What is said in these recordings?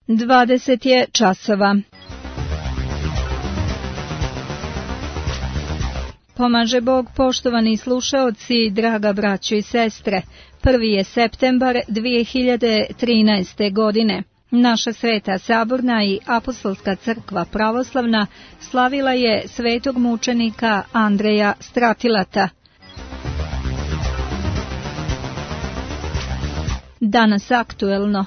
20 je časova. Pomaže Bog, poštovani slušaoci, draga braćo i sestre. 1. je septembar 2013. godine. Naša Sveta Saborna i Apostolska crkva pravoslavna slavila je svetog mučenika Andreja Stratilata. Danas aktuelno.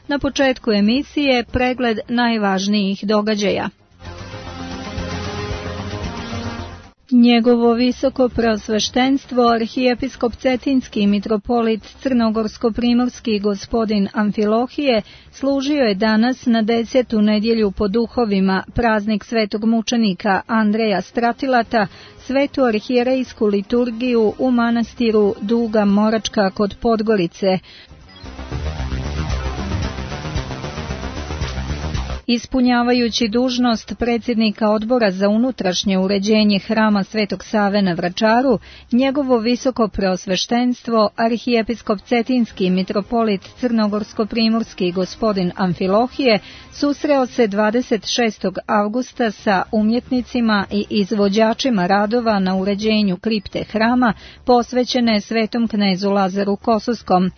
Na početku emisije pregled najvažnijih događaja. Njegovo visoko preosveštenstvo arhijepiskop Cetinski mitropolit Crnogorsko-primorski gospodin Amfilohije služio je danas na 10. nedjelju po duhovima praznik svetog mučenika Andreja Stratilata, svetu arhijerejsku liturgiju u manastiru Duga Moračka kod Podgorice. Ispunjavajući dužnost predsjednika odbora za unutrašnje uređenje hrama Svetog Save na Vračaru, njegovo visoko preosveštenstvo arhijepiskop Cetinski mitropolit Crnogorsko-primorski gospodin Amfilohije susreo se 26. avgusta sa umjetnicima i izvođačima radova na uređenju kripte hrama posvećene svetom knezu Lazaru Kosovskom.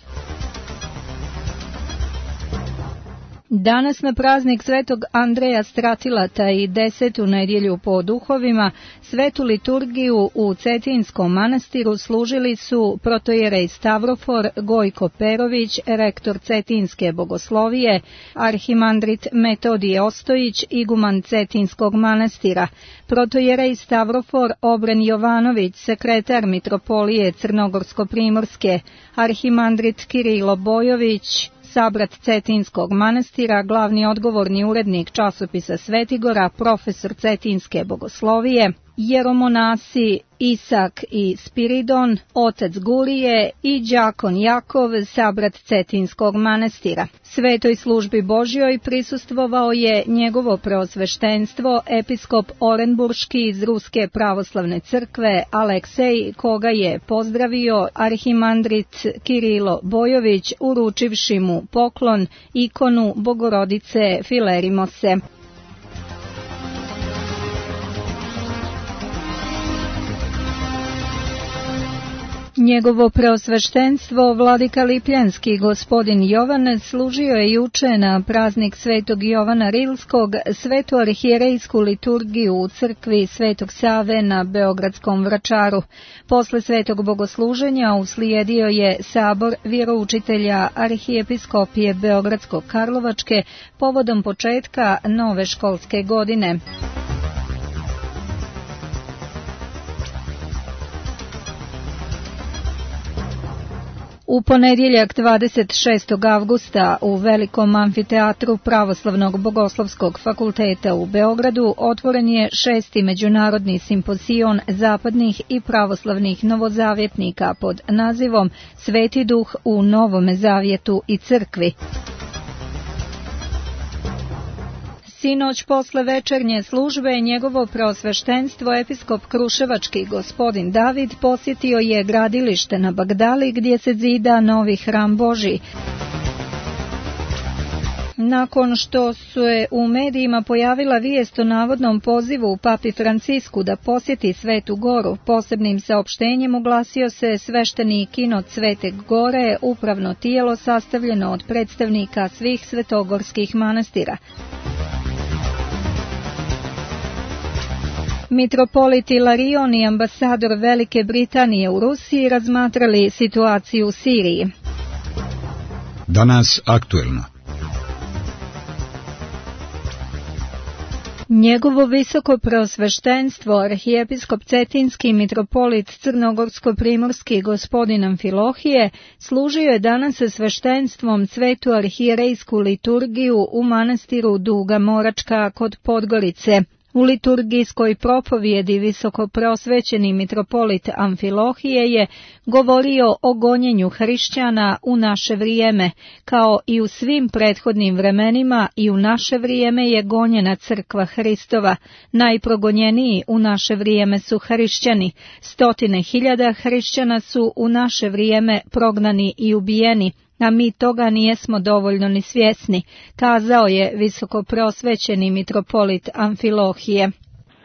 Danas na praznik svetog Andreja Stratilata i 10. nedjelju po duhovima svetu liturgiju u Cetinskom manastiru služili su protojerej Stavrofor Gojko Perović, rektor Cetinske bogoslovije, arhimandrit Metodije Ostojić, iguman Cetinskog manastira, protojerej Stavrofor Obren Jovanović, sekretar mitropolije Crnogorsko-primorske, arhimandrit Kirilo Bojović, sabrat Cetinskog manastira, glavni odgovorni urednik časopisa Svetigora, profesor Cetinske bogoslovije, jeromonasi Isak i Spiridon, otac Gurije i đakon Jakov, sabrat Cetinskog manastira. Svetoj službi Božjoj prisustvovao je njegovo preosveštenstvo, episkop Orenburški iz Ruske pravoslavne crkve Aleksej, koga je pozdravio arhimandrit Kirilo Bojović, uručivši mu poklon, ikonu Bogorodice Filerimose. Njegovo preosveštenstvo, vladika Lipljanski gospodin Jovan, služio je juče na praznik svetog Jovana Rilskog svetu arhijerejsku liturgiju u crkvi Svetog Save na Beogradskom Vračaru. Posle svetog bogosluženja uslijedio je sabor vjeroučitelja arhijepiskopije Beogradsko-Karlovačke povodom početka nove školske godine. U ponedjeljak 26. avgusta u Velikom amfiteatru Pravoslavnog bogoslovskog fakulteta u Beogradu otvoren je 6. međunarodni simpozion zapadnih i pravoslavnih novozavjetnika pod nazivom Sveti duh u Novome zavjetu i crkvi. Sinoć posle večernje službe njegovo preosveštenstvo episkop Kruševački gospodin David posjetio je gradilište na Bagdali gdje se zida novi hram Božji. Nakon što se u medijima pojavila vijest o navodnom pozivu papi Francisku da posjeti Svetu Goru, posebnim saopštenjem oglasio se svešteni kinot Svete Gore, upravno tijelo sastavljeno od predstavnika svih svetogorskih manastira. Mitropolit Ilarion i ambasador Velike Britanije u Rusiji razmatrali situaciju u Siriji. Danas aktuelno. Njegovo visoko preosveštenstvo arhijepiskop Cetinski mitropolit Crnogorsko-primorski gospodin Amfilohije služio je danas sa sveštenstvom svetu arhijerejsku liturgiju u manastiru Duga Moračka kod Podgorice. U liturgijskoj propovjedi visoko preosvećeni mitropolit Amfilohije je govorio o gonjenju hrišćana u naše vrijeme, kao i u svim prethodnim vremenima i u naše vrijeme je gonjena crkva Hristova. Najprogonjeniji u naše vrijeme su hrišćani. 100.000 hrišćana su u naše vrijeme prognani i ubijeni. a mi toga nijesmo dovoljno ni svjesni, kazao je visokoprosvećeni mitropolit Amfilohije.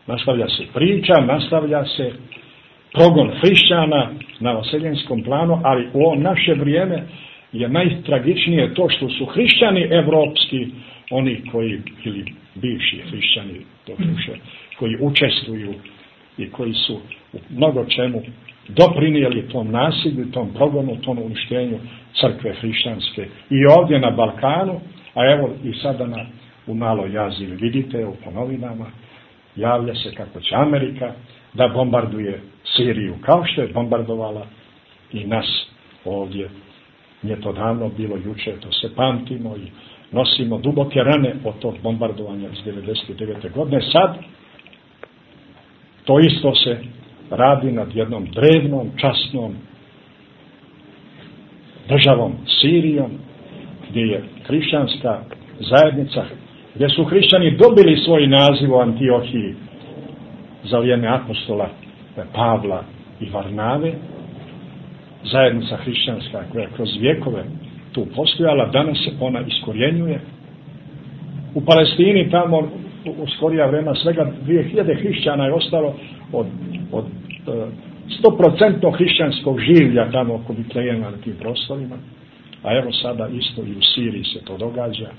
Nastavlja se priča, nastavlja se progon hrišćana na vaseljenskom planu, ali u ovo naše vrijeme je najtragičnije to što su hrišćani evropski, oni koji, ili bivši hrišćani, koji učestvuju i koji su u mnogo čemu doprinijeli tom nasilju, tom progonu, tom uništenju crkve hrišćanske i ovdje na Balkanu, a evo i sada u Maloj Aziji vidite po novinama, javlja se kako će Amerika da bombarduje Siriju, kao što je bombardovala i nas ovdje. Nije to davno bilo, juče, to se pamtimo i nosimo duboke rane od tog bombardovanja iz 1999. godine. Sad to isto se radi nad jednom drevnom, časnom državom Sirijom, gdje je hrišćanska zajednica, gdje su hrišćani dobili svoj naziv u Antiohiji za vrijeme apostola Pavla i Varnave. Zajednica hrišćanska koja kroz vjekove tu postojala, danas se ona iskorjenjuje. U Palestini tamo u skorija vremena svega 2000 hrišćana je ostalo od 100% hrišćanskog življa tamo oko Bitlejema na tim prostorima. A evo sada isto i u Siriji se to događa.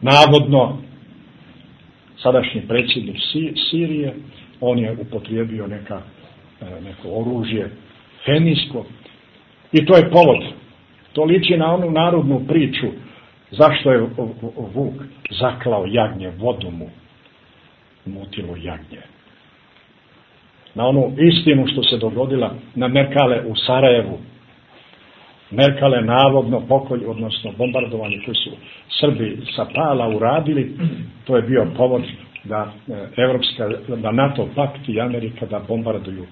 Navodno, sadašnji predsjednik Sirije, on je upotrijebio neko oružje hemijsko i to je povod. To liči na onu narodnu priču zašto je vuk zaklao jagnje, vodu mu mutilo jagnje. Na onu istinu što se dogodila na Merkale u Sarajevu. Merkale navodno pokolj, odnosno bombardovanje koji su Srbi sa Pala uradili, to je bio povod da da NATO pakt i Amerika da bombarduju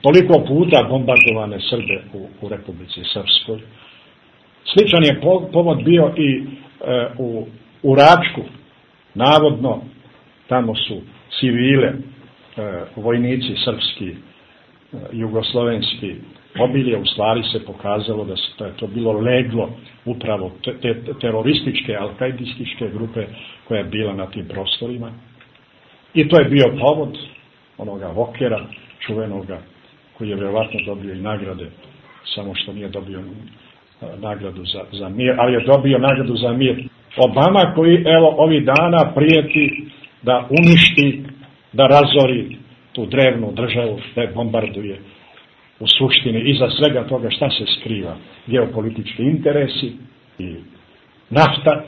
toliko puta bombardovane Srbe u Republici Srpskoj. Sličan je povod bio i u Račku. Navodno tamo su civile, vojnici srpski, jugoslovenski pobili, u stvari se pokazalo da je to bilo leglo upravo te terorističke, alkaidističke grupe koja je bila na tim prostorima. I to je bio povod onoga Vokera, čuvenoga, koji je vjerovatno dobio i nagrade, samo što nije dobio nagradu za mir, ali je dobio nagradu za mir. Obama koji evo ovih dana prijeti da uništi, da razori tu drevnu državu, da je bombarduje. U suštini iza svega toga šta se skriva? Geopolitički interesi i nafta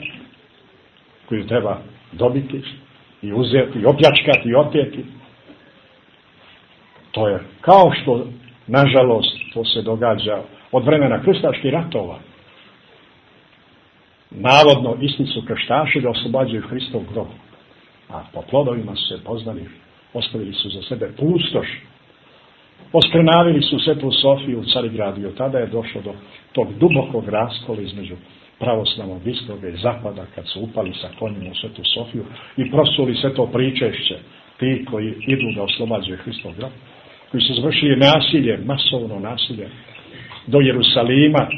koju treba dobiti i uzeti, i opljačkati, i oteti. To je kao što, nažalost, to se događa od vremena krstaških ratova. Navodno, isti su krštaši da oslobađaju Hristov grob. A po plodovima su se poznali, ostavili su za sebe pustoš. Oskrnavili su Svetu Sofiju u Carigradu i od tada je došlo do tog dubokog raskola između pravoslavnog istoga i zapada, kad su upali sa konjima u Svetu Sofiju i prosuli sve to pričešće, ti koji idu da oslobađaju Hristov grob, koji su završili nasilje, masovno nasilje, do Jerusalima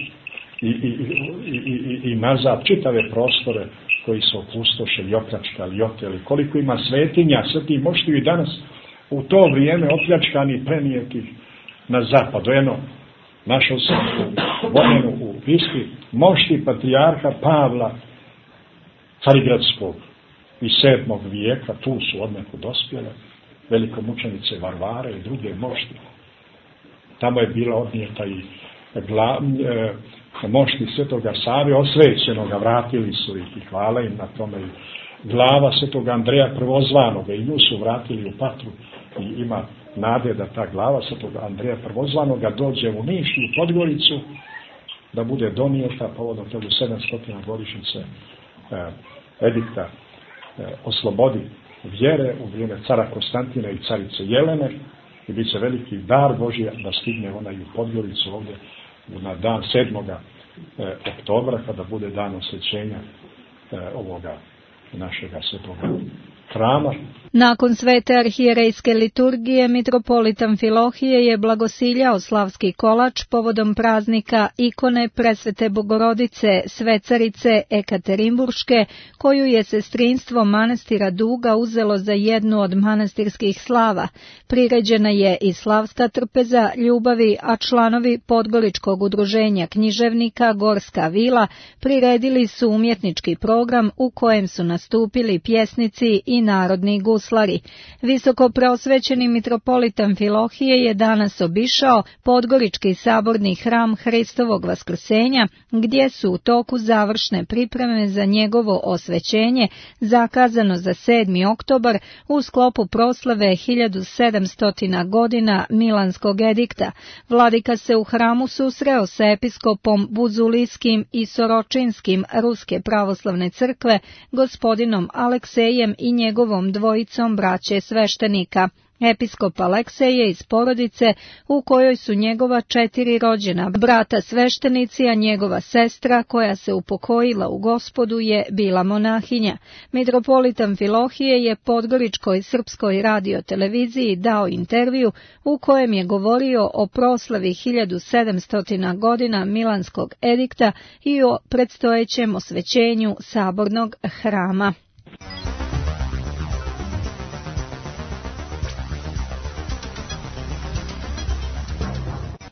i nazad, čitave prostore koji su opustošili, opljačkali, oteli. Koliko ima svetinja, sveti moštiju i danas u to vrijeme opljačkani i prenijeti na zapad. Jedno, našao sam vremenu u pismi mošti patrijarha Pavla Carigradskog iz 7. vijeka, tu su odneku dospjele, velikomučenice Varvare i druge mošti. Tamo je bila odnijeta i mošti Svetoga Save, osvećenoga, vratili su ih i hvala im na tome. Glava Svetoga Andreja Prvozvanoga i nju su vratili u Patru i ima nade da ta glava Svetoga Andreja Prvozvanoga dođe u Niš i u Podgoricu, da bude donijeta povodom toga 700. godišnjice edikta o slobodi vjere u vrijeme cara Konstantina i carice Jelene i bit će veliki dar Božji da stigne ona i u Podgoricu ovdje na dan 7. oktobra kada bude dan osvećenja ovoga našega svetoga hrama. Nakon svete arhijerejske liturgije, mitropolit Amfilohije je blagosiljao slavski kolač povodom praznika ikone Presvete Bogorodice, svecarice Ekaterinburške, koju je sestrinstvo manastira Duga uzelo za jednu od manastirskih slava. Priređena je i slavska trpeza ljubavi, a članovi Podgoričkog udruženja književnika Gorska vila priredili su umjetnički program u kojem su nastupili pjesnici i narodni guslari. Visoko preosvećeni mitropolit Amfilohije je danas obišao Podgorički saborni hram Hristovog Vaskrsenja, gdje su u toku završne pripreme za njegovo osvećenje, zakazano za 7. oktobar u sklopu proslave 1700 godina Milanskog edikta. Vladika se u hramu susreo sa episkopom Buzulijskim i Soročinskim Ruske pravoslavne crkve, gospodinom Aleksejem i njegovom dvojicom braće sveštenika. Episkop Aleksej je iz porodice u kojoj su njegova 4 rođena brata sveštenici, a njegova sestra, koja se upokojila u Gospodu, je bila monahinja. Mitropolit Amfilohije je Podgoričkoj srpskoj radioteleviziji dao intervju u kojem je govorio o proslavi 1700 godina Milanskog edikta i o predstojećem osvećenju sabornog hrama.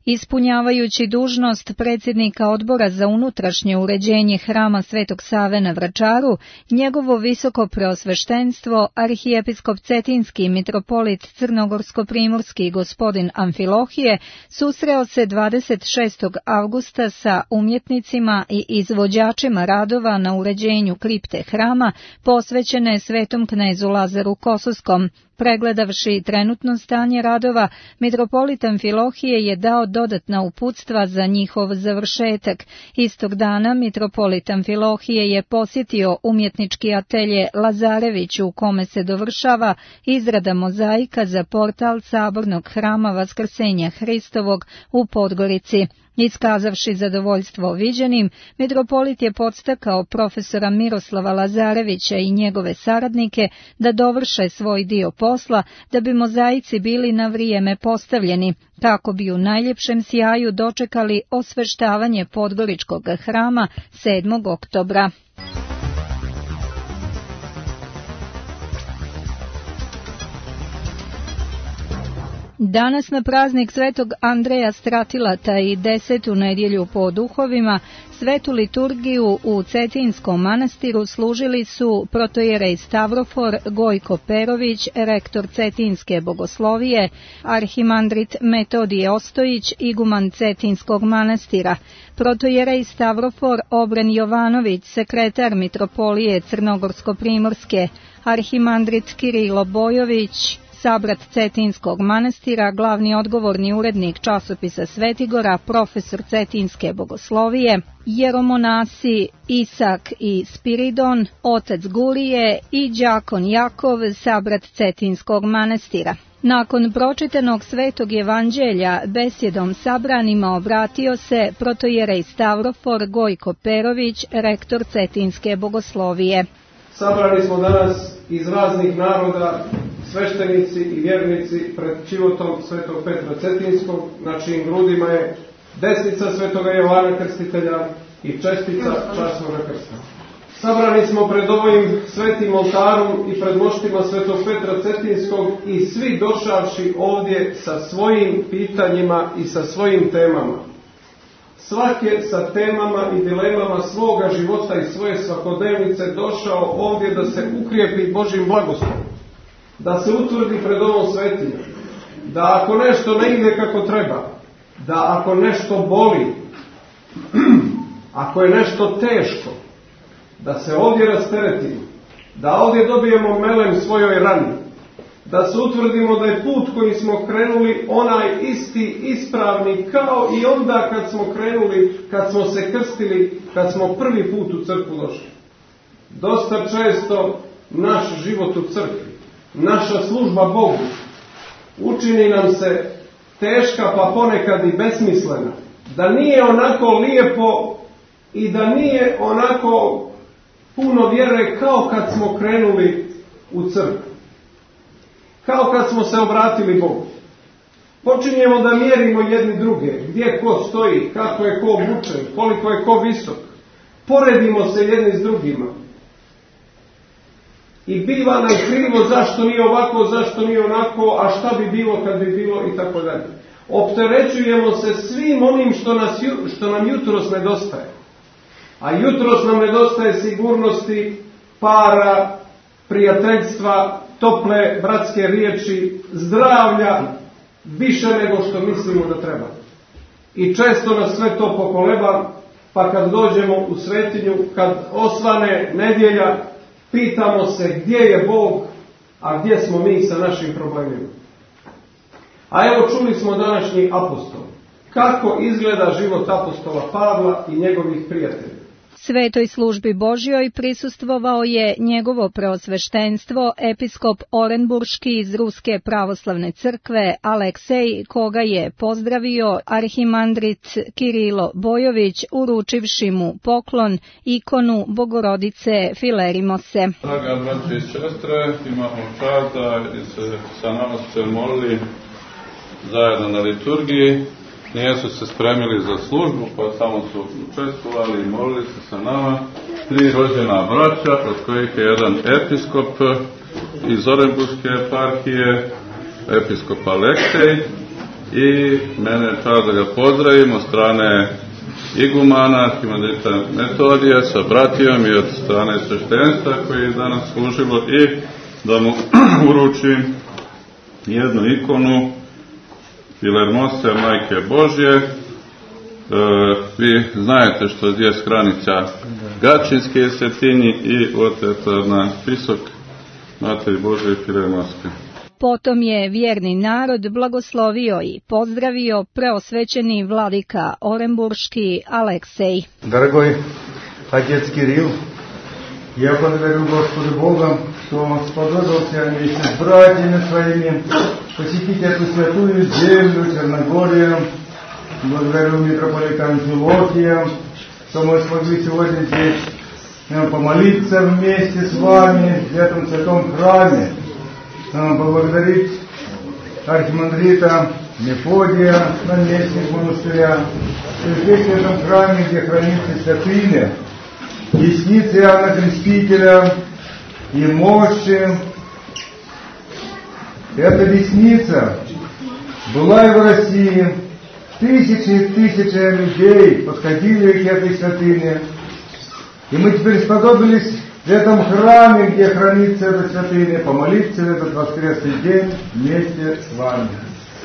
Ispunjavajući dužnost predsjednika odbora za unutrašnje uređenje hrama Svetog Save na Vračaru, njegovo visoko preosveštenstvo, arhijepiskop Cetinski mitropolit Crnogorsko-primorski gospodin Amfilohije, susreo se 26. avgusta sa umjetnicima i izvođačima radova na uređenju kripte hrama posvećene Svetom knezu Lazaru Kosovskom. Pregledavši trenutno stanje radova, mitropolit Amfilohije je dao dodatna uputstva za njihov završetak. Istog dana mitropolit Amfilohije je posjetio umjetnički atelje Lazarević, u kome se dovršava izrada mozaika za portal sabornog hrama Vaskrsenja Hristovog u Podgorici. Iskazavši zadovoljstvo viđenim, mitropolit je podstakao profesora Miroslava Lazarevića i njegove saradnike da dovrše svoj dio posla, da bi mozaici bili na vrijeme postavljeni, kako bi u najljepšem sjaju dočekali osveštavanje Podgoričkog hrama 7. oktobra. Danas na praznik Svetog Andreja Stratilata i 10. nedjelju po duhovima, svetu liturgiju u Cetinskom manastiru služili su protojerej Stavrofor Gojko Perović, rektor Cetinske bogoslovije, arhimandrit Metodije Ostojić, iguman Cetinskog manastira, protojerej Stavrofor Obren Jovanović, sekretar mitropolije Crnogorsko-primorske, arhimandrit Kirilo Bojović, sabrat Cetinskog manastira, glavni odgovorni urednik časopisa Svetigora, profesor Cetinske bogoslovije, jeromonasi Isak i Spiridon, otac Gurije i đakon Jakov, sabrat Cetinskog manastira. Nakon pročitanog Svetog evanđelja besjedom sabranima obratio se protojerej Stavrofor Gojko Perović, rektor Cetinske bogoslovije. Sabrani smo danas iz raznih naroda, sveštenici i vjernici pred čivotom Svetog Petra Cetinskog, na čijim grudima je desnica Svetoga Jovana Krstitelja i čestica časnoga krsta. Sabrani smo pred ovim svetim oltarom i pred moštima Svetog Petra Cetinskog i svi došavši ovdje sa svojim pitanjima i sa svojim temama. Svake sa temama i dilemama svoga života i svoje svakodnevnice došao ovdje da se ukrijepi Božjim blagoslovom, da se utvrdi pred ovom svetinjom, da ako nešto ne ide kako treba, da ako nešto boli, ako je nešto teško, da se ovdje rasteretimo, da ovdje dobijemo melem svojoj rani, da se utvrdimo da je put koji smo krenuli onaj isti, ispravni, kao i onda kad smo krenuli, kad smo se krstili, kad smo prvi put u crkvu došli. Dosta često naš život u crkvi, naša služba Bogu, učini nam se teška, pa ponekad i besmislena, da nije onako lijepo i da nije onako puno vjere kao kad smo krenuli u crkvu. Kao kad smo se obratili Bogu. Počinjemo da mjerimo jedni druge, gdje ko stoji, kako je ko obučen, koliko je ko visok. Poredimo se jedni s drugima. I biva nam krivo zašto nije ovako, zašto nije onako, a šta bi bilo kad bi bilo i tako dalje. Opterećujemo se svim onim što nam jutros nedostaje. A jutros nam nedostaje sigurnosti, para, prijateljstva, tople bratske riječi, zdravlja, više nego što mislimo da treba. I često nas sve to pokoleba, pa kad dođemo u svetinju, kad osvane nedjelja, pitamo se gdje je Bog, a gdje smo mi sa našim problemima. A evo čuli smo današnji apostol. Kako izgleda život apostola Pavla i njegovih prijatelja. Svetoj službi Božjoj prisustvovao je njegovo preosveštenstvo, episkop Orenburški iz Ruske pravoslavne crkve Aleksej, koga je pozdravio arhimandrit Kirilo Bojović, uručivši mu poklon, ikonu Bogorodice Filerimose. Draga braće i sestre, imamo čast da se sa nama ste molili zajedno na liturgiji. Nijesu se spremili za službu, pa samo su učestvovali i molili se sa nama. 3 rođena braća, od kojih je jedan episkop iz Orenburške eparhije, episkop Aleksej, i mene čast da ga pozdravim od strane igumana, arhimandrita Metodija, sa bratijom i od strane sveštenstva koji je danas služilo, i da mu uručim jednu ikonu Filermose, Majke Božje. Vi znajete što je granica Gačinske svetinji i oteto na spisak Materi Božje i Filermoske. Potom je vjerni narod blagoslovio i pozdravio preosvećeni vladika Orenburški Aleksej. Дорогой отец Кирилл, я благодарю Господа Бога, что Он сподобился вместе с братьями своими посетить эту святую землю Черногорию. Благодарю митрополита Амфилохия, что мы смогли сегодня здесь помолиться вместе с вами в этом святом храме. Поблагодарить архимандрита Мефодия, наместник монастыря, что здесь в этом храме, где хранится святыня, десницы Иоанна Крестителя и мощи. Эта десница была и в России. Тысячи и тысячи людей подходили к этой святыне. И мы теперь сподобились в этом храме, где хранится эта святыня, помолиться в этот воскресный день вместе с вами.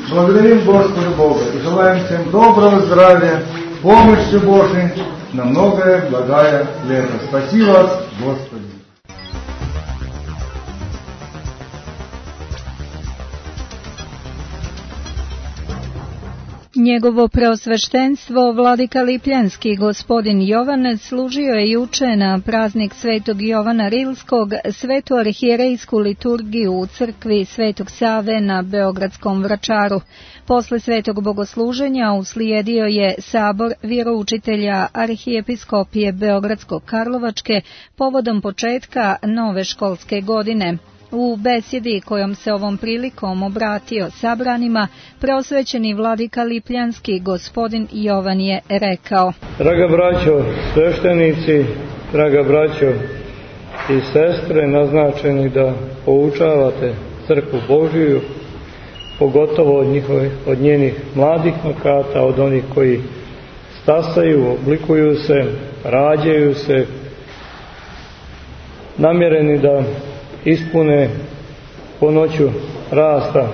Благодарим Господа Бога и желаем всем доброго здравия, помощи Божией на многое благое лето. Спаси вас, Господи! Njegovo preosveštenstvo, vladika Lipljanski gospodin Jovan, služio je juče na praznik Svetog Jovana Rilskog svetu arhijerejsku liturgiju u crkvi Svetog Save na Beogradskom Vračaru. Posle svetog bogosluženja uslijedio je sabor vjeroučitelja arhijepiskopije Beogradsko-Karlovačke povodom početka nove školske godine. U besjedi kojom se ovom prilikom obratio sabranima, preosvećeni vladika Lipljanski gospodin Jovan je rekao: Draga braćo sveštenici, draga braćo i sestre, naznačeni da poučavate crkvu Božiju, pogotovo od njenih mladih makata, od onih koji stasaju, oblikuju se, rađaju se, namjereni da ispune po noću rasta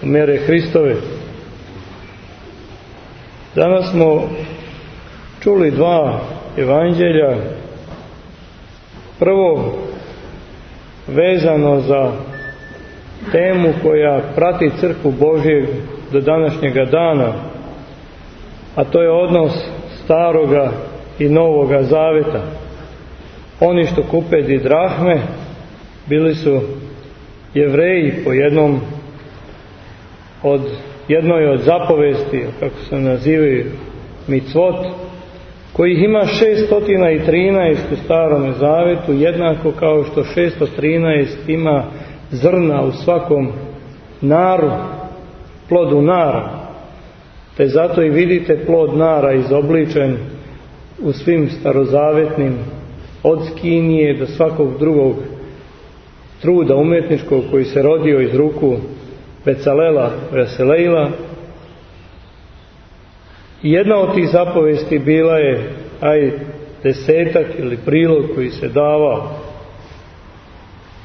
mjere Hristove. Danas smo čuli 2 evanđelja. Prvo vezano za temu koja prati crkvu Božju do današnjega dana, a to je odnos staroga i novoga zaveta. Oni što kupe didrahme bili su Jevreji po jednoj od zapovesti, kako se nazivaju micvot, kojih ima 613 u Starome Zavetu, jednako kao što 613 ima zrna u svakom naru, plodu nara. Te zato i vidite plod nara izobličen u svim starozavetnim, od skinije do svakog drugog truda umetničkog koji se rodio iz ruku Becalela, Veselejla. I jedna od tih zapovesti bila je desetak ili prilog koji se davao.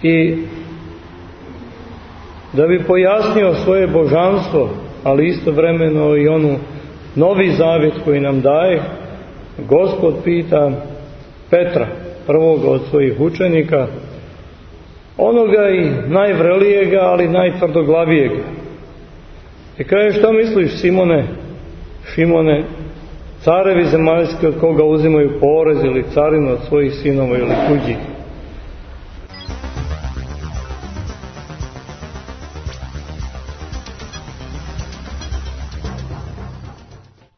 I da bi pojasnio svoje božanstvo, ali istovremeno i onu novi zavjet koji nam daje, Gospod pita Petra, prvog od svojih učenika, onoga i najvrelijega, ali najtvrdoglavijega. I kaže, šta misliš, Šimone, carevi zemaljski od koga uzimaju porez ili carinu od svojih sinova ili tuđih?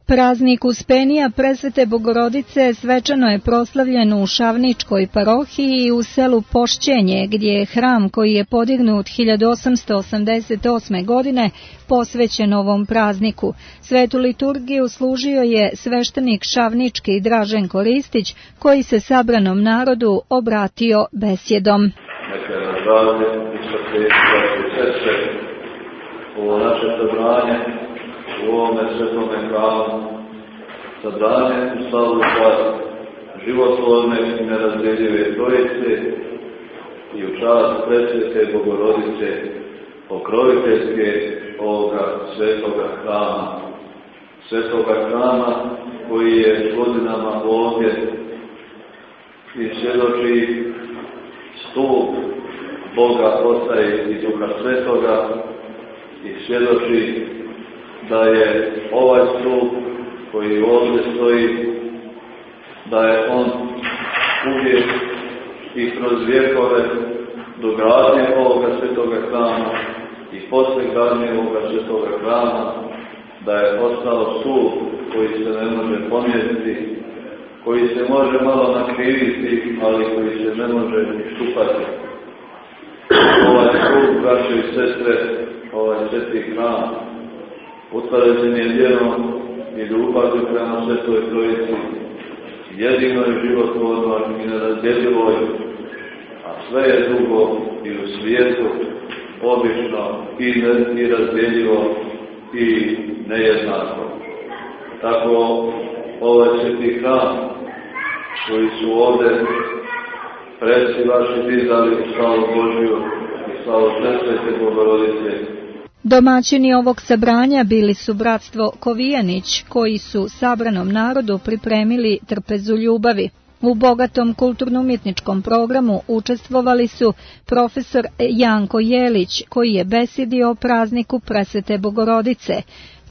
Praznik Uspenija Presvete Bogorodice svečano je proslavljen u Šavničkoj parohiji u selu Pošćenje, gdje je hram koji je podignut 1888. godine posvećen ovom prazniku. Svetu liturgiju služio je sveštenik šavnički Draženko Ristić, koji se sabranom narodu obratio besjedom. Neka je zdravlje i srce ovo naše sabranje u ovome svetome hramu, sabranje u slavu čast životvorne i nerazdjeljive Trojice i u čast Presvete Bogorodice, pokroviteljske ovoga svetoga hrama koji je godinama ovdje i svjedoči stup Boga Oca i Duha Svetoga i svjedoči da je ovaj stup koji ovdje stoji, da je on uvijek i kroz vjekove do gradnje ovoga svetoga hrama i posle gradnje ovoga svetoga hrama, da je ostao stup koji se ne može pomjeriti, koji se može malo nakriviti, ali koji se ne može štupati. Ovaj stup, braće i sestre, ovaj sveti hram, utvrđen je vjerom i ljubavi prema Svetoj Trojici, jedinoj životvornoj i nerazdjeljivoj, a sve je drugo i u svijetu obično i razdjeljivo i nejednako. Tako ovaj sveti hram koji su ovdje preci vaši dizali u slavu Božju i slavu Presvete Bogorodice. Domaćini ovog sabranja bili su bratstvo Kovijanić, koji su sabranom narodu pripremili trpezu ljubavi. U bogatom kulturno-umjetničkom programu učestvovali su profesor Janko Jelić, koji je besjedio o prazniku Presvete Bogorodice,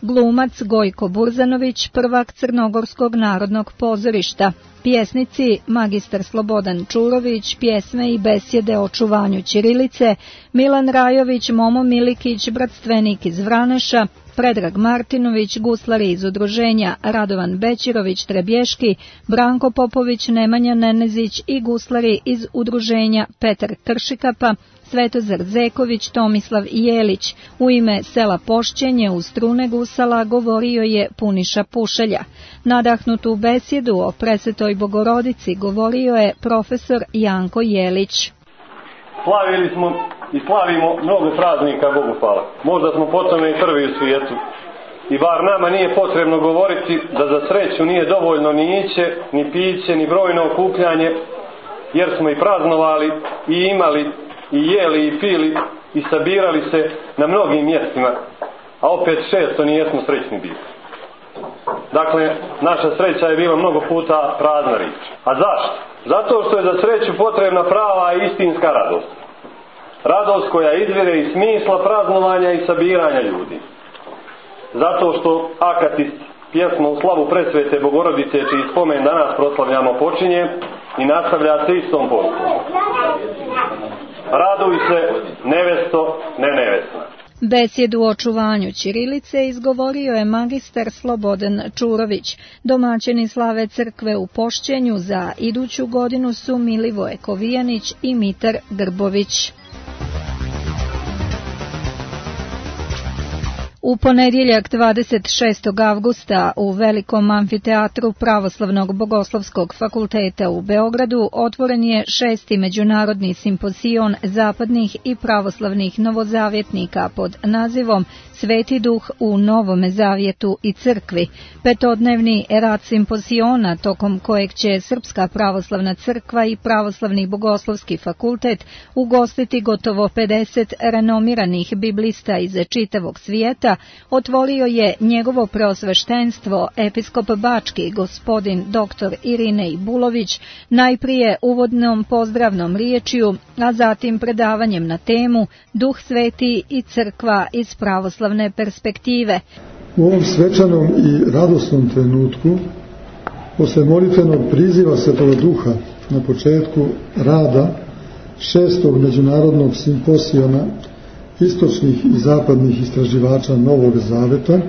glumac Gojko Burzanović, prvak Crnogorskog narodnog pozorišta, pjesnici magistar Slobodan Čurović, pjesme i besjede o čuvanju ćirilice, Milan Rajović, Momo Milikić, bratstvenik iz Vraneša, Predrag Martinović, guslari iz udruženja Radovan Bećirović Trebješki, Branko Popović, Nemanja Nenezić i guslari iz udruženja Petar Kršikapa, Svetozar Zeković, Tomislav Jelić. U ime sela Pošćenje uz strune gusala govorio je Puniša Pušelja. Nadahnutu besjedu o Presvetoj Bogorodici govorio je profesor Janko Jelić. Slavili smo i slavimo mnogo praznika, Bogu hvala. Možda smo po tome i prvi u svijetu. I bar nama nije potrebno govoriti da za sreću nije dovoljno ni iće, ni piće, ni brojno okupljanje, jer smo i praznovali i imali i jeli i pili i sabirali se na mnogim mjestima, a opet često nijesmo srećni bili. Dakle, naša sreća je bila mnogo puta prazna riječ. A zašto? Zato što je za sreću potrebna prava i istinska radost. Radost koja izvire iz smisla praznovanja i sabiranja ljudi. Zato što akatist pjesma u slavu Presvete Bogorodice, čiji spomen danas proslavljamo, počinje i nastavlja se istom porukom. Raduj se, nevesto, ne nevesna. Besjedu o očuvanju ćirilice izgovorio je magistar Slobodan Čurović. Domaćini slave crkve u Pošćenju za iduću godinu su Milivoje Kovijanić i Mitar Grbović. U ponedjeljak 26. avgusta u Velikom amfiteatru Pravoslavnog bogoslovskog fakulteta u Beogradu otvoren je 6. međunarodni simpozion zapadnih i pravoslavnih novozavjetnika pod nazivom Sveti duh u Novome zavjetu i crkvi. Petodnevni rad simpoziona, tokom kojeg će Srpska pravoslavna crkva i Pravoslavni bogoslovski fakultet ugostiti gotovo 50 renomiranih biblista iz čitavog svijeta, otvorio je njegovo preosveštenstvo episkop Bački gospodin dr. Irinej Bulović, najprije uvodnom pozdravnom riječju, a zatim predavanjem na temu Duh sveti i crkva iz pravoslavne perspektive. U ovom svečanom i radosnom trenutku, posle molitvenog priziva Svetoga Duha na početku rada 6. međunarodnog simposijona istočnih i zapadnih istraživača Novog Zaveta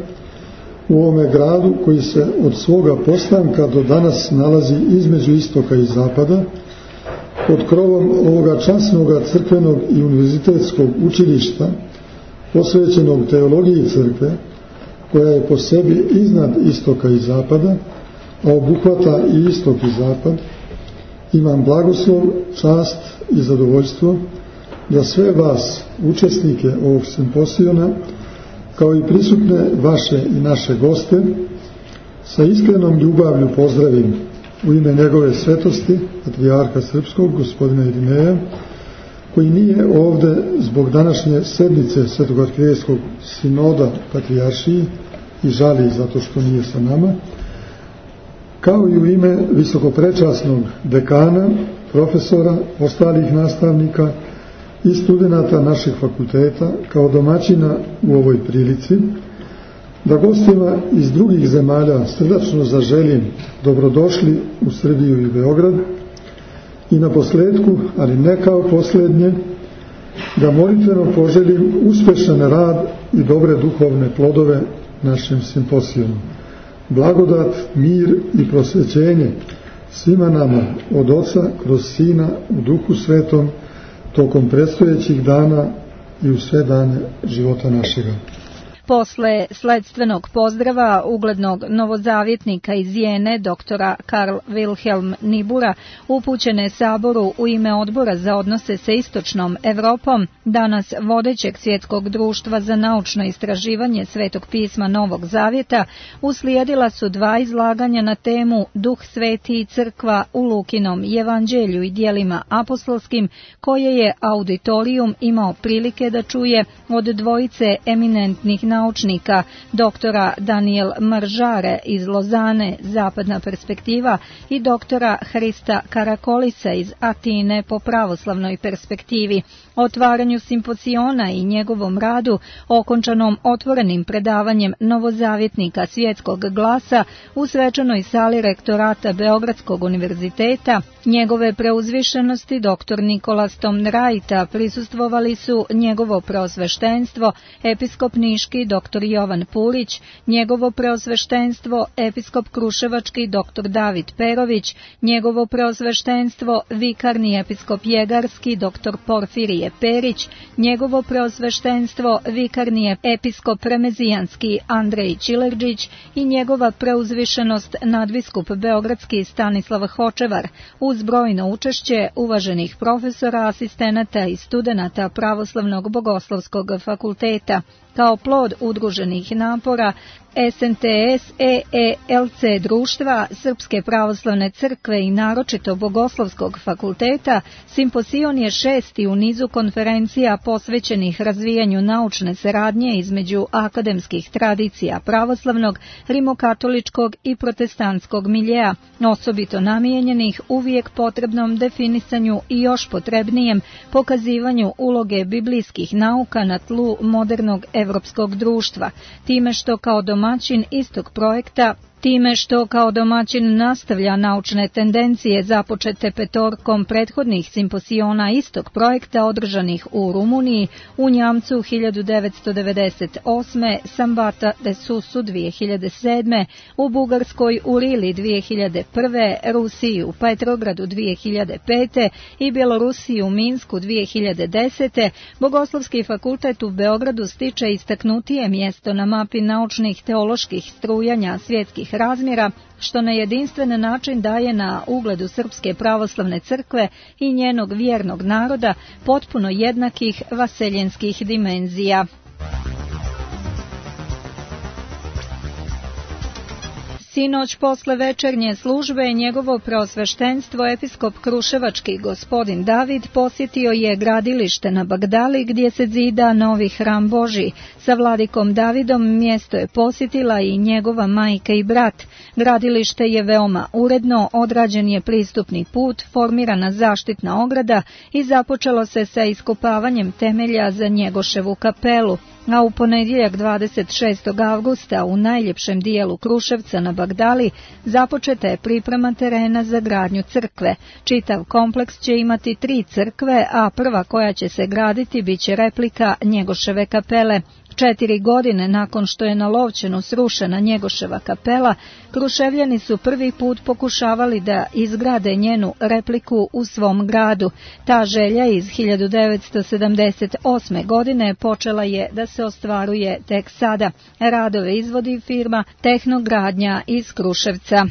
u ovome gradu koji se od svoga postanka do danas nalazi između istoka i zapada, pod krovom ovoga časnoga crkvenog i univerzitetskog učilišta posvećenog teologiji crkve, koja je po sebi iznad istoka i zapada, a obuhvata i istok i zapad, imam blagoslov, čast i zadovoljstvo da sve vas, učesnike ovog simposijona, kao i prisutne vaše i naše goste, sa iskrenom ljubavlju pozdravim u ime njegove svetosti, patrijarha srpskog, gospodina Irineja, koji nije ovde zbog današnje sednice Svetog arhirejskog sinoda patrijaršiji i žali zato što nije sa nama, kao i u ime visokoprečasnog dekana, profesora, ostalih nastavnika i studenata naših fakulteta, kao domaćina u ovoj prilici, da gostima iz drugih zemalja srdačno zaželim dobrodošli u Srbiju i Beograd i na posledku, ali ne kao poslednje, da molitveno poželim uspešan rad i dobre duhovne plodove našem simposijonu. Blagodat, mir i prosvećenje svima nama od Oca kroz Sina u Duhu Svetom tokom predstojećih dana i u sve dane života našega. Posle sledstvenog pozdrava uglednog novozavjetnika iz Jene, doktora Karl Wilhelm Nibura, upućene Saboru u ime Odbora za odnose sa Istočnom Evropom, danas vodećeg Svjetskog društva za naučno istraživanje Svetog pisma Novog Zavjeta, uslijedila su dva izlaganja na temu Duh sveti i crkva u Lukinom evanđelju i djelima apostolskim, koje je auditorijum imao prilike da čuje od dvojice eminentnih naučnika, doktora Daniel Maržare iz Lozane, Zapadna perspektiva, i doktora Hrista Karakolisa iz Atine po pravoslavnoj perspektivi. Otvaranju simpoziona i njegovom radu, okončanom otvorenim predavanjem novozavjetnika Svjetskog glasa u svečanoj sali rektorata Beogradskog univerziteta, njegove preuzvišenosti dr. Nikola Stomrajta prisustvovali su njegovo preosveštenstvo, episkop Niški dr. Jovan Pulić, njegovo preosveštenstvo, episkop Kruševački dr. David Perović, njegovo preosveštenstvo, vikarni episkop Jegarski dr. Porfirije Perić, njegovo preosveštenstvo, vikarni episkop Remezijanski Andrej Čilerđić i njegova preuzvišenost nadbiskup Beogradski Stanislav Hočevar, uz brojno učešće uvaženih profesora, asistenata i studenata Pravoslavnog bogoslovskog fakulteta. Kao plod udruženih napora SNTS EELC društva, Srpske pravoslavne crkve i naročito Bogoslovskog fakulteta, simpozion je 6. u nizu konferencija posvećenih razvijanju naučne saradnje između akademskih tradicija pravoslavnog, rimokatoličkog i protestantskog miljea, osobito namijenjenih uvijek potrebnom definisanju i još potrebnijem pokazivanju uloge biblijskih nauka na tlu modernog evropskog društva, time što kao domaćin istog projekta time što kao domaćin nastavlja naučne tendencije započete petorkom prethodnih simposiona istog projekta održanih u Rumuniji, u Njamcu 1998. Sambata de Susu 2007. u Bugarskoj u Rili 2001. Rusiji u Petrogradu 2005. i Bjelorusiji u Minsku 2010. Bogoslovski fakultet u Beogradu stiče istaknutije mjesto na mapi naučnih teoloških strujanja svjetskih razmjera, što na jedinstven način daje na ugledu Srpske pravoslavne crkve i njenog vjernog naroda potpuno jednakih vaseljenskih dimenzija. Sinoć posle večernje službe njegovo preosveštenstvo episkop Kruševački gospodin David posjetio je gradilište na Bagdali gdje se zida novi hram Božji. Sa vladikom Davidom mjesto je posjetila i njegova majka i brat. Gradilište je veoma uredno, odrađen je pristupni put, formirana zaštitna ograda i započelo se sa iskopavanjem temelja za Njegoševu kapelu. A u ponedjeljak 26. avgusta u najljepšem dijelu Kruševca na Bagdali započeta je priprema terena za gradnju crkve. Čitav kompleks će imati 3 crkve, a prva koja će se graditi biće replika Njegoševe kapele. 4 godine nakon što je na Lovćenu srušena Njegoševa kapela, Kruševljani su prvi put pokušavali da izgrade njenu repliku u svom gradu. Ta želja iz 1978. godine počela je da se ostvaruje tek sada. Radove izvodi firma Tehnogradnja iz Kruševca.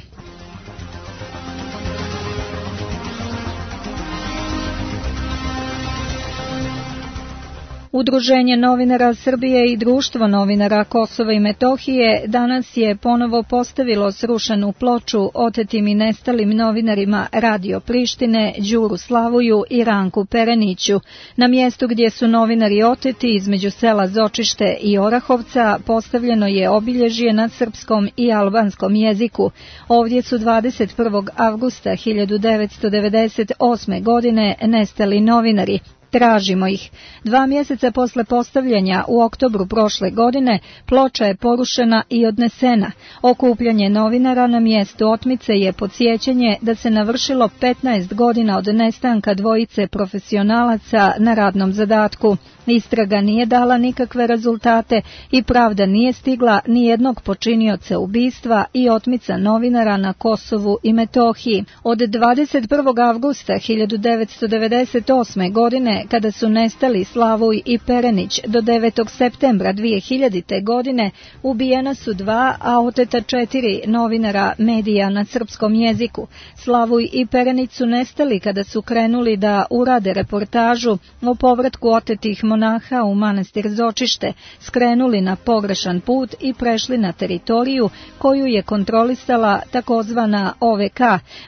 Udruženje novinara Srbije i Društvo novinara Kosova i Metohije danas je ponovo postavilo srušenu ploču otetim i nestalim novinarima Radio Prištine, Đuru Slavuju i Ranku Pereniću. Na mjestu gdje su novinari oteti između sela Zočište i Orahovca postavljeno je obilježje na srpskom i albanskom jeziku. Ovdje su 21. avgusta 1998. godine nestali novinari. Tražimo ih. 2 mjeseca posle postavljanja u oktobru prošle godine ploča je porušena i odnesena. Okupljanje novinara na mjestu otmice je podsjećanje da se navršilo 15 godina od nestanka dvojice profesionalaca na radnom zadatku. Istraga nije dala nikakve rezultate i pravda nije stigla ni jednog počinioca ubistva i otmica novinara na Kosovu i Metohiji. Od 21. avgusta 1998. godine, kada su nestali Slavuj i Perenić, do 9. septembra 2000. godine ubijena su 2, a oteta 4 novinara medija na srpskom jeziku. Slavuj i Perenić su nestali kada su krenuli da urade reportažu o povratku otetih monaha u manastir Zočište, skrenuli na pogrešan put i prešli na teritoriju koju je kontrolisala takozvana OVK.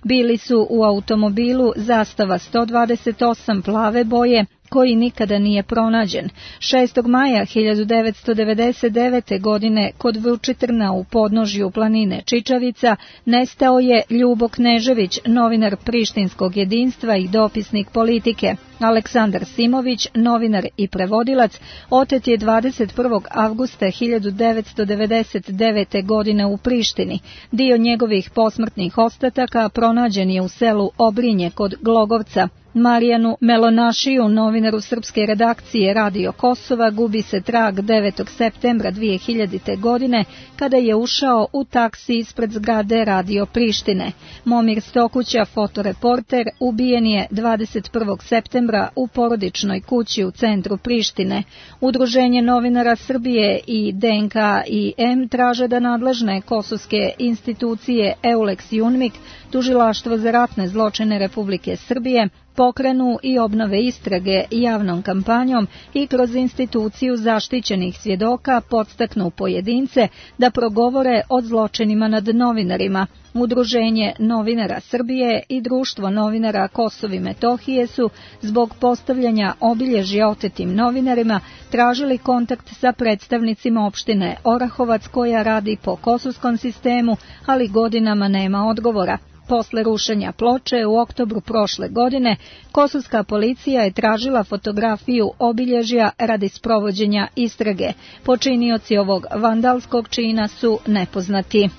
Bili su u automobilu Zastava 128 plave boje, koji nikada nije pronađen. 6. maja 1999. godine kod Vučitrna u podnožju planine Čičavica nestao je Ljubo Knežević, novinar Prištinskog jedinstva i dopisnik Politike. Aleksandar Simović, novinar i prevodilac, otet je 21. avgusta 1999. godine u Prištini. Dio njegovih posmrtnih ostataka pronađen je u selu Obrinje kod Glogovca. Marijanu Melonašiju, novinaru srpske redakcije Radio Kosova, gubi se trag 9. septembra 2000. godine kada je ušao u taksi ispred zgrade Radio Prištine. Momir Stokuća, fotoreporter, ubijen je 21. septembra u porodičnoj kući u centru Prištine. Udruženje novinara Srbije i DNK i M traže da nadležne kosovske institucije EULEX i UNMIK, Tužilaštvo za ratne zločine Republike Srbije, pokrenu i obnove istrage javnom kampanjom i kroz instituciju zaštićenih svjedoka podstaknu pojedince da progovore o zločinima nad novinarima. Udruženje novinara Srbije i Društvo novinara Kosova i Metohije su zbog postavljanja obilježja otetim novinarima tražili kontakt sa predstavnicima opštine Orahovac koja radi po kosovskom sistemu, ali godinama nema odgovora. Posle rušenja ploče u oktobru prošle godine, kosovska policija je tražila fotografiju obilježja radi sprovođenja istrage. Počinioci ovog vandalskog čina su nepoznati.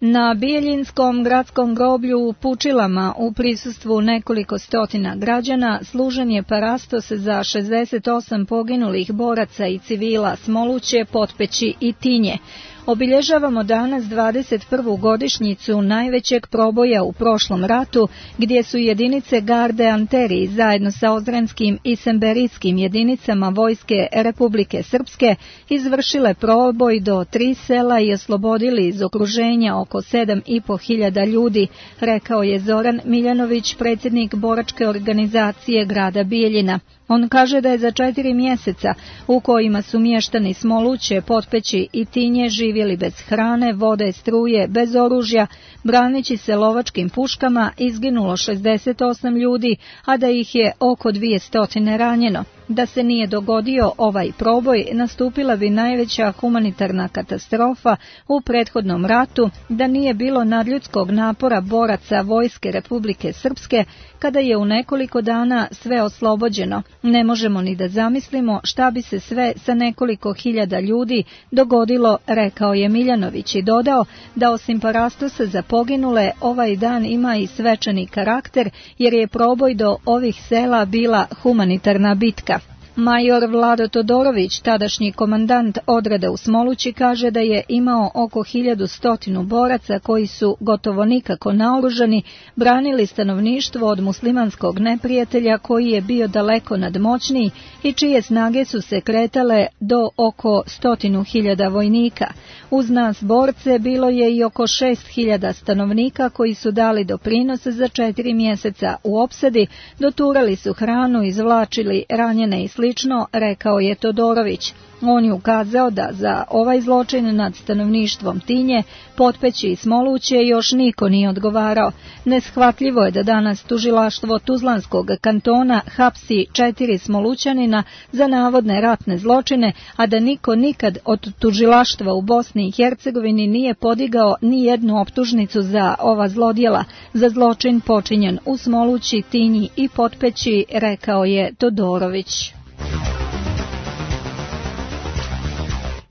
Na Bijeljinskom gradskom groblju u Pučilama u prisustvu nekoliko stotina građana služen je parastos za 68 poginulih boraca i civila Smoluće, Potpeći i Tinje. Obilježavamo danas 21. godišnjicu najvećeg proboja u prošlom ratu, gdje su jedinice Garde Anteri zajedno sa ozrenskim i semberijskim jedinicama Vojske Republike Srpske izvršile proboj do 3 sela i oslobodili iz okruženja oko 7.500 ljudi, rekao je Zoran Miljanović, predsjednik boračke organizacije grada Bijeljina. On kaže da je za 4 mjeseca u kojima su mještani Smoluće, Potpeći i Tinje živjeli bez hrane, vode, struje, bez oružja, braneći se lovačkim puškama, izginulo 68 ljudi, a da ih je oko 200 ranjeno. Da se nije dogodio ovaj proboj, nastupila bi najveća humanitarna katastrofa u prethodnom ratu, da nije bilo nadljudskog napora boraca Vojske Republike Srpske, kada je u nekoliko dana sve oslobođeno. Ne možemo ni da zamislimo šta bi se sve sa nekoliko hiljada ljudi dogodilo, rekao je Miljanović i dodao da osim parastosa za poginule, ovaj dan ima i svečani karakter, jer je proboj do ovih sela bila humanitarna bitka. Major Vlado Todorović, tadašnji komandant odreda u Smolući, kaže da je imao oko 1100 boraca koji su gotovo nikako naoružani, branili stanovništvo od muslimanskog neprijatelja koji je bio daleko nadmoćniji i čije snage su se kretale do oko 100.000 vojnika. Uz nas borce bilo je i oko 6.000 stanovnika koji su dali doprinos za 4 mjeseca u opsadi, doturali su hranu, izvlačili ranjene i slično, rekao je Todorović. On je ukazao da za ovaj zločin nad stanovništvom Tinje, Potpeći i Smoluće još niko nije odgovarao. Neshvatljivo je da danas tužilaštvo Tuzlanskog kantona hapsi 4 Smolućanina za navodne ratne zločine, a da niko nikad od tužilaštva u Bosni i Hercegovini nije podigao ni jednu optužnicu za ova zlodjela, za zločin počinjen u Smolući, Tinji i Potpeći, rekao je Todorović.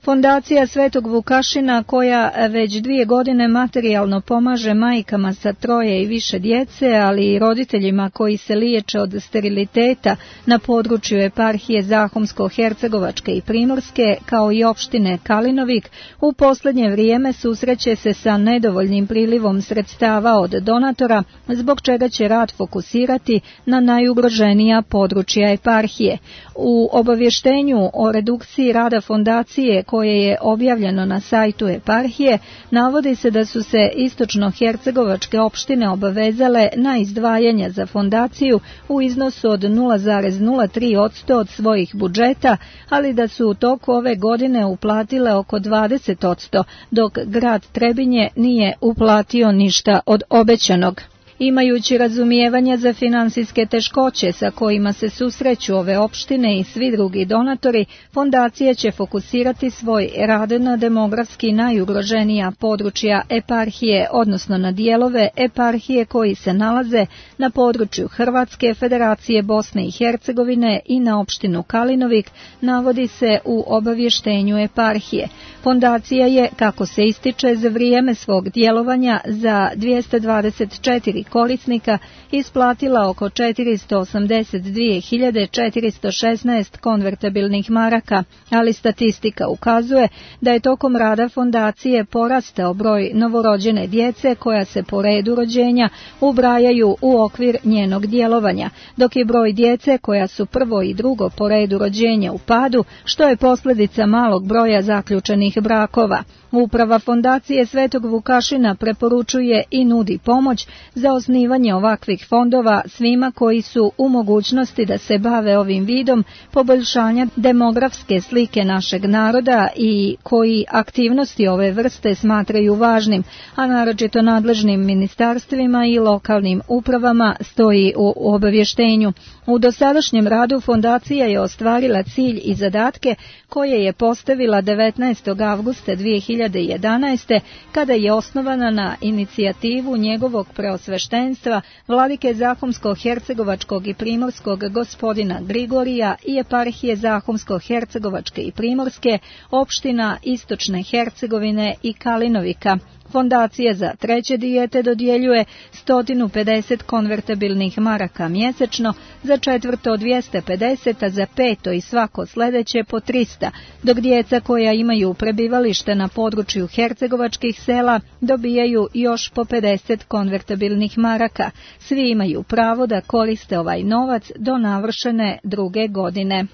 Fondacija Svetog Vukašina, koja već 2 godine materijalno pomaže majkama sa 3 i više djece, ali i roditeljima koji se liječe od steriliteta na području eparhije Zahumsko-Hercegovačke i Primorske, kao i opštine Kalinovik, u posljednje vrijeme susreće se sa nedovoljnim prilivom sredstava od donatora, zbog čega će rad fokusirati na najugroženija područja eparhije. U obavještenju o redukciji rada fondacije, koje je objavljeno na sajtu eparhije, navodi se da su se istočno-hercegovačke opštine obavezale na izdvajanja za fondaciju u iznosu od 0,03% od svojih budžeta, ali da su u toku ove godine uplatile oko 20%, dok grad Trebinje nije uplatio ništa od obećanog. Imajući razumijevanja za finansijske teškoće sa kojima se susreću ove opštine i svi drugi donatori, fondacija će fokusirati svoj rad na demografski najugroženija područja eparhije, odnosno na dijelove eparhije koji se nalaze na području Hrvatske, Federacije Bosne i Hercegovine i na opštinu Kalinovik, navodi se u obavještenju eparhije. Fondacija je, kako se ističe, za vrijeme svog djelovanja za 224 korisnika isplatila oko 482.416 konvertabilnih maraka, ali statistika ukazuje da je tokom rada fondacije porastao broj novorođene djece koja se po redu rođenja ubrajaju u okvir njenog djelovanja, dok je broj djece koja su prvo i drugo po redu rođenja u padu, što je posljedica malog broja zaključenih brakova. Uprava fondacije Svetog Vukašina preporučuje i nudi pomoć za osnivanje ovakvih fondova svima koji su u mogućnosti da se bave ovim vidom poboljšanja demografske slike našeg naroda i koji aktivnosti ove vrste smatraju važnim, a naročito nadležnim ministarstvima i lokalnim upravama, stoji u obavještenju. U dosadašnjem radu fondacija je ostvarila cilj i zadatke koje je postavila 19. avgusta 2011. kada je osnovana na inicijativu njegovog preosveštenja sveštenstva, vladike Zahumsko-hercegovačkog i primorskog gospodina Grigorija i eparhije Zahumsko-hercegovačke i primorske, opština Istočne Hercegovine i Kalinovika. Fondacija za treće dijete dodjeljuje 150 konvertibilnih maraka mjesečno, za četvrto 250, a za peto i svako sljedeće po 300, dok djeca koja imaju prebivalište na području hercegovačkih sela dobijaju još po 50 konvertibilnih maraka. Svi imaju pravo da koriste ovaj novac do navršene 2. godine.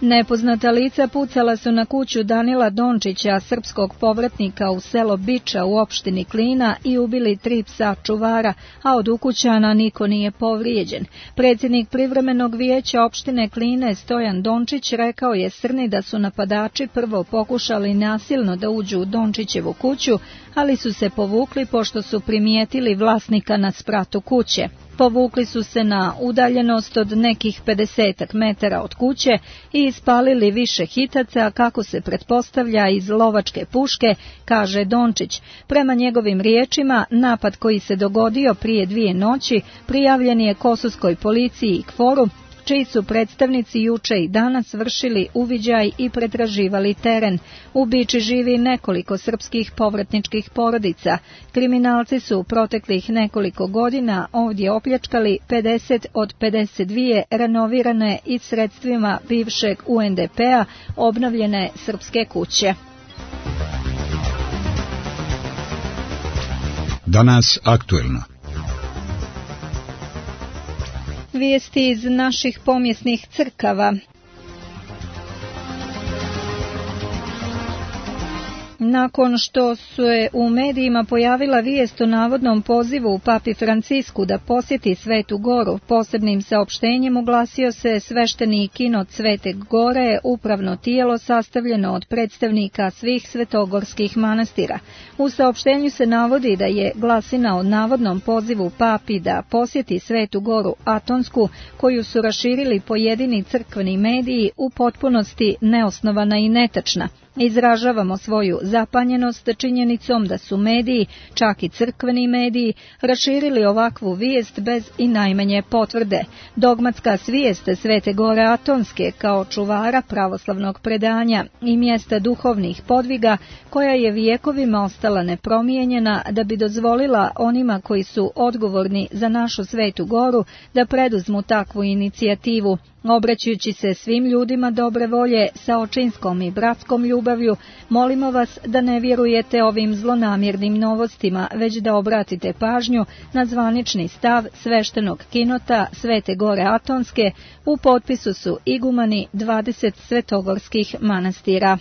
Nepoznata lica pucala su na kuću Danila Dončića, srpskog povratnika u selo Biča u opštini Klina, i ubili 3 psa čuvara, a od ukućana niko nije povrijeđen. Predsjednik privremenog vijeća opštine Kline Stojan Dončić rekao je Srni da su napadači prvo pokušali nasilno da uđu u Dončićevu kuću, ali su se povukli pošto su primijetili vlasnika na spratu kuće. Povukli su se na udaljenost od nekih 50 metara od kuće i ispalili više hitaca, kako se pretpostavlja, iz lovačke puške, kaže Dončić. Prema njegovim riječima, napad koji se dogodio prije 2 noći prijavljen je Kosovskoj policiji i KFOR-u, čiji su predstavnici juče i danas vršili uviđaj i pretraživali teren. U Biči živi nekoliko srpskih povratničkih porodica. Kriminalci su u proteklih nekoliko godina ovdje opljačkali 50 od 52 renovirane i sredstvima bivšeg UNDP-a obnovljene srpske kuće. Danas aktuelno. Vijesti iz naših pomjesnih crkava. Nakon što se u medijima pojavila vijest o navodnom pozivu papi Francisku da posjeti Svetu Goru, posebnim saopštenjem oglasio se svešteni kinod Svete Gore, upravno tijelo sastavljeno od predstavnika svih svetogorskih manastira. U saopštenju se navodi da je glasina o navodnom pozivu papi da posjeti Svetu Goru Atonsku, koju su raširili pojedini crkveni mediji, u potpunosti neosnovana i netačna. Izražavamo svoju zapanjenost činjenicom da su mediji, čak i crkveni mediji, raširili ovakvu vijest bez i najmanje potvrde. Dogmatska svijest Svete Gore Atonske kao čuvara pravoslavnog predanja i mjesta duhovnih podviga, koja je vijekovima ostala nepromijenjena, da bi dozvolila onima koji su odgovorni za našu Svetu Goru da preduzmu takvu inicijativu. Obraćajući se svim ljudima dobre volje sa očinskom i bratskom ljubavlju, molimo vas da ne vjerujete ovim zlonamjernim novostima, već da obratite pažnju na zvanični stav sveštenog kinota Svete Gore Atonske. U potpisu su igumani 20 svetogorskih manastira.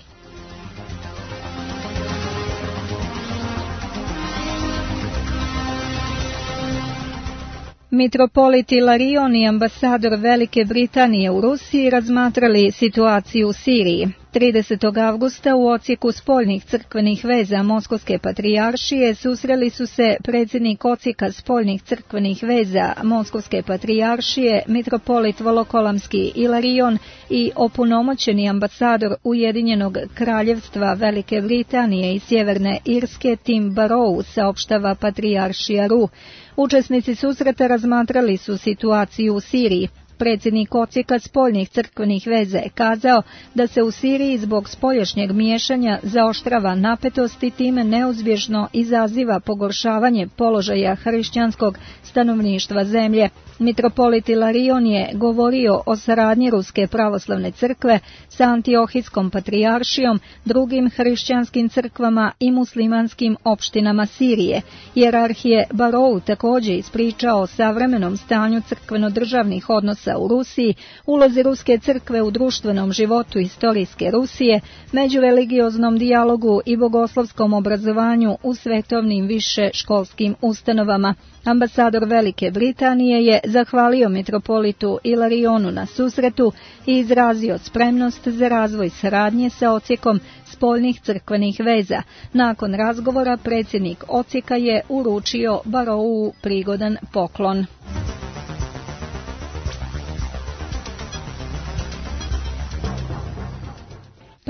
Mitropolit Ilarion i ambasador Velike Britanije u Rusiji razmatrali situaciju u Siriji. 30. avgusta u odsjeku spoljnih crkvenih veza Moskovske patrijaršije susreli su se predsjednik odsjeka spoljnih crkvenih veza Moskovske patrijaršije, mitropolit Volokolamski Ilarion i opunomoćeni ambasador Ujedinjenog kraljevstva Velike Britanije i Sjeverne Irske Tim Barrow, saopštava patrijaršija Ru. Učesnici susreta razmatrali su situaciju u Siriji. Predsjednik odsjeka spoljnih crkvenih veza je kazao da se u Siriji zbog spoljašnjeg miješanja zaoštrava napetost i time neuzbježno izaziva pogoršavanje položaja hrišćanskog stanovništva zemlje. Mitropolit Ilarion je govorio o saradnji Ruske pravoslavne crkve sa Antiohijskom patrijaršijom, drugim hrišćanskim crkvama i muslimanskim opštinama Sirije. Jerarhije Barrow također ispričao o savremenom stanju crkveno-državnih odnosa u Rusiji, ulozi Ruske crkve u društvenom životu istorijske Rusije, međureligioznom dijalogu i bogoslovskom obrazovanju u svetovnim više školskim ustanovama. Ambasador Velike Britanije je zahvalio mitropolitu Ilarionu na susretu i izrazio spremnost za razvoj saradnje sa odsjekom spoljnih crkvenih veza. Nakon razgovora predsjednik odsjeka je uručio Barrowu prigodan poklon.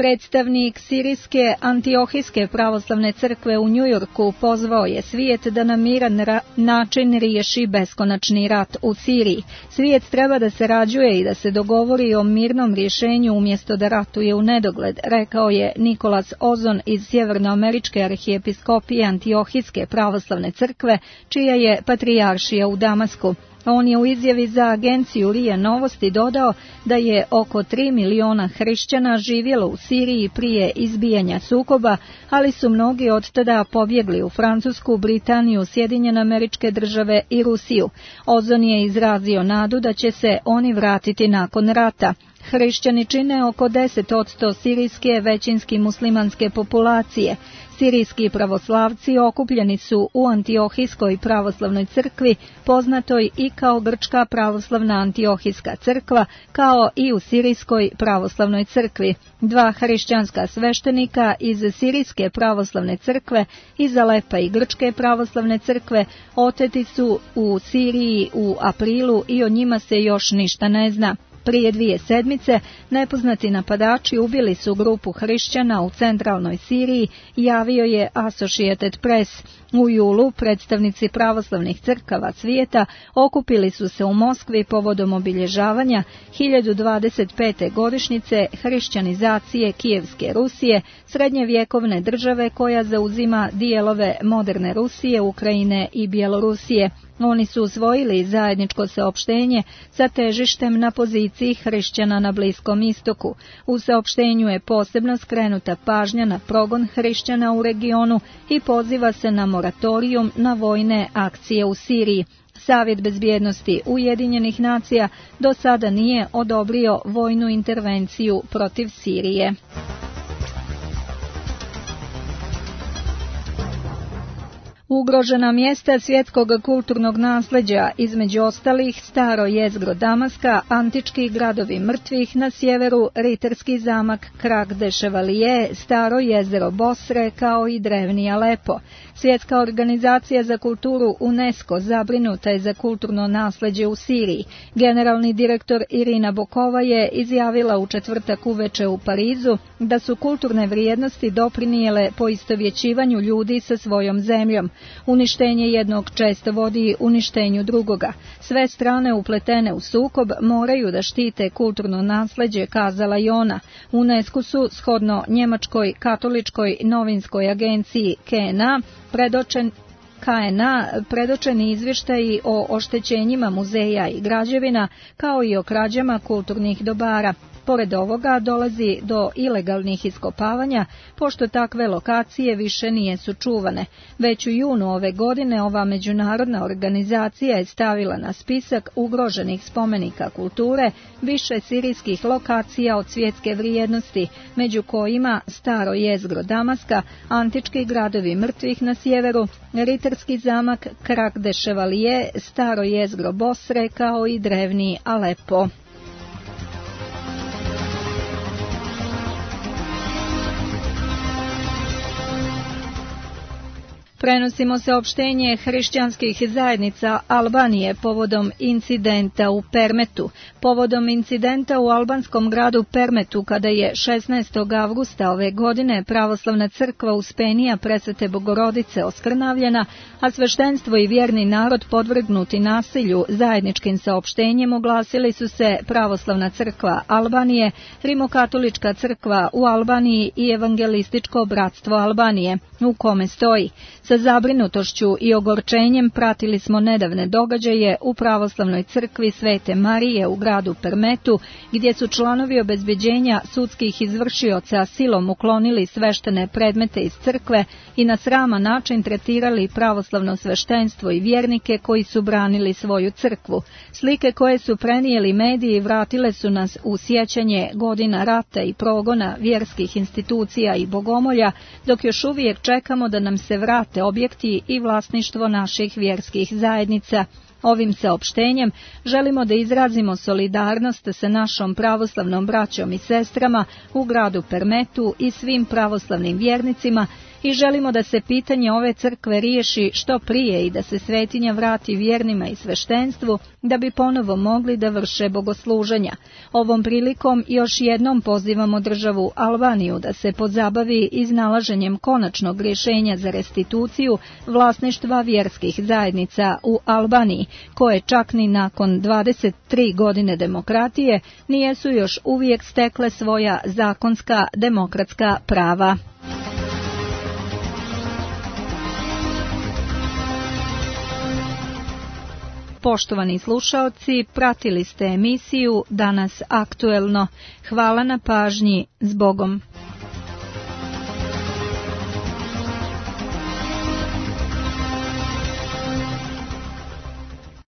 Predstavnik Sirijske Antiohijske pravoslavne crkve u Njujorku pozvao je svijet da na miran način riješi beskonačni rat u Siriji. Svijet treba da se rađuje i da se dogovori o mirnom rješenju umjesto da ratuje u nedogled, rekao je Nikolas Ozon iz Sjevernoameričke arhijepiskopije Antiohijske pravoslavne crkve, čija je patrijaršija u Damasku. On je u izjavi za agenciju RIA Novosti dodao da je oko 3 miliona hrišćana živjelo u Siriji prije izbijanja sukoba, ali su mnogi od tada pobjegli u Francusku, Britaniju, Sjedinjene Američke Države i Rusiju. Ozon je izrazio nadu da će se oni vratiti nakon rata. Hrišćani čine oko 10% sirijske većinski muslimanske populacije. Sirijski pravoslavci okupljeni su u Antiohijskoj pravoslavnoj crkvi, poznatoj i kao Grčka pravoslavna Antiohijska crkva, kao i u Sirijskoj pravoslavnoj crkvi. 2 hrišćanska sveštenika iz Sirijske pravoslavne crkve, iz Alepa i Grčke pravoslavne crkve, oteti su u Siriji u aprilu i o njima se još ništa ne zna. Prije 2 sedmice nepoznati napadači ubili su grupu hrišćana u centralnoj Siriji, javio je Associated Press. U julu predstavnici pravoslavnih crkava svijeta okupili su se u Moskvi povodom obilježavanja 1025. godišnjice hrišćanizacije Kijevske Rusije, srednjevjekovne države koja zauzima dijelove moderne Rusije, Ukrajine i Bjelorusije. Oni su usvojili zajedničko saopštenje sa težištem na poziciji hrišćana na Bliskom istoku. U saopštenju je posebno skrenuta pažnja na progon hrišćana u regionu i poziva se na moratorijum na vojne akcije u Siriji. Savjet bezbjednosti Ujedinjenih nacija do sada nije odobrio vojnu intervenciju protiv Sirije. Ugrožena mjesta svjetskog kulturnog nasljeđa, između ostalih staro jezgro Damaska, antički gradovi mrtvih na sjeveru, ritarski zamak Krak de Chevalier, staro jezero Bosre kao i drevni Alepo. Svjetska organizacija za kulturu UNESCO zabrinuta je za kulturno nasljeđe u Siriji. Generalni direktor Irina Bokova je izjavila u četvrtak uveče u Parizu da su kulturne vrijednosti doprinijele poistovjećivanju ljudi sa svojom zemljom. Uništenje jednog često vodi uništenju drugoga. Sve strane upletene u sukob moraju da štite kulturno nasljeđe, kazala i ona. UNESCO su, shodno njemačkoj katoličkoj novinskoj agenciji KNA, predočeni izvještaji o oštećenjima muzeja i građevina, kao i o krađama kulturnih dobara. Pored ovoga dolazi do ilegalnih iskopavanja, pošto takve lokacije više nisu čuvane. Već u junu ove godine ova međunarodna organizacija je stavila na spisak ugroženih spomenika kulture više sirijskih lokacija od svjetske vrijednosti, među kojima staro jezgro Damaska, antički gradovi mrtvih na sjeveru, ritarski zamak Krak de Chevalier, staro jezgro Bosre kao i drevni Alepo. Prenosimo saopštenje hrišćanskih zajednica Albanije povodom incidenta u Permetu. Povodom incidenta u albanskom gradu Permetu, kada je 16. avgusta ove godine pravoslavna crkva Uspenija Presvete Bogorodice oskrnavljena, a sveštenstvo i vjerni narod podvrgnuti nasilju, zajedničkim saopštenjem oglasili su se pravoslavna crkva Albanije, Rimokatolička crkva u Albaniji i Evangelističko bratstvo Albanije, u kome stoji: sa zabrinutošću i ogorčenjem pratili smo nedavne događaje u pravoslavnoj crkvi Svete Marije u gradu Permetu, gdje su članovi obezbeđenja sudskih izvršioca silom uklonili sveštene predmete iz crkve i na sraman način tretirali pravoslavno sveštenstvo i vjernike koji su branili svoju crkvu. Slike koje su prenijeli mediji vratile su nas u sjećanje godina rata i progona vjerskih institucija i bogomolja, dok još uvijek čekamo da nam se vrate objekti i vlasništvo naših vjerskih zajednica. Ovim saopštenjem želimo da izrazimo solidarnost sa našom pravoslavnom braćom i sestrama u gradu Permetu i svim pravoslavnim vjernicima i želimo da se pitanje ove crkve riješi što prije i da se svetinja vrati vjernima i sveštenstvu da bi ponovo mogli da vrše bogosluženja. Ovom prilikom još jednom pozivamo državu Albaniju da se pozabavi iznalaženjem konačnog rješenja za restituciju vlasništva vjerskih zajednica u Albaniji, koje čak ni nakon 23 godine demokratije nijesu još uvijek stekle svoja zakonska demokratska prava. Poštovani slušaoci, pratili ste emisiju Danas aktuelno. Hvala na pažnji, s Bogom.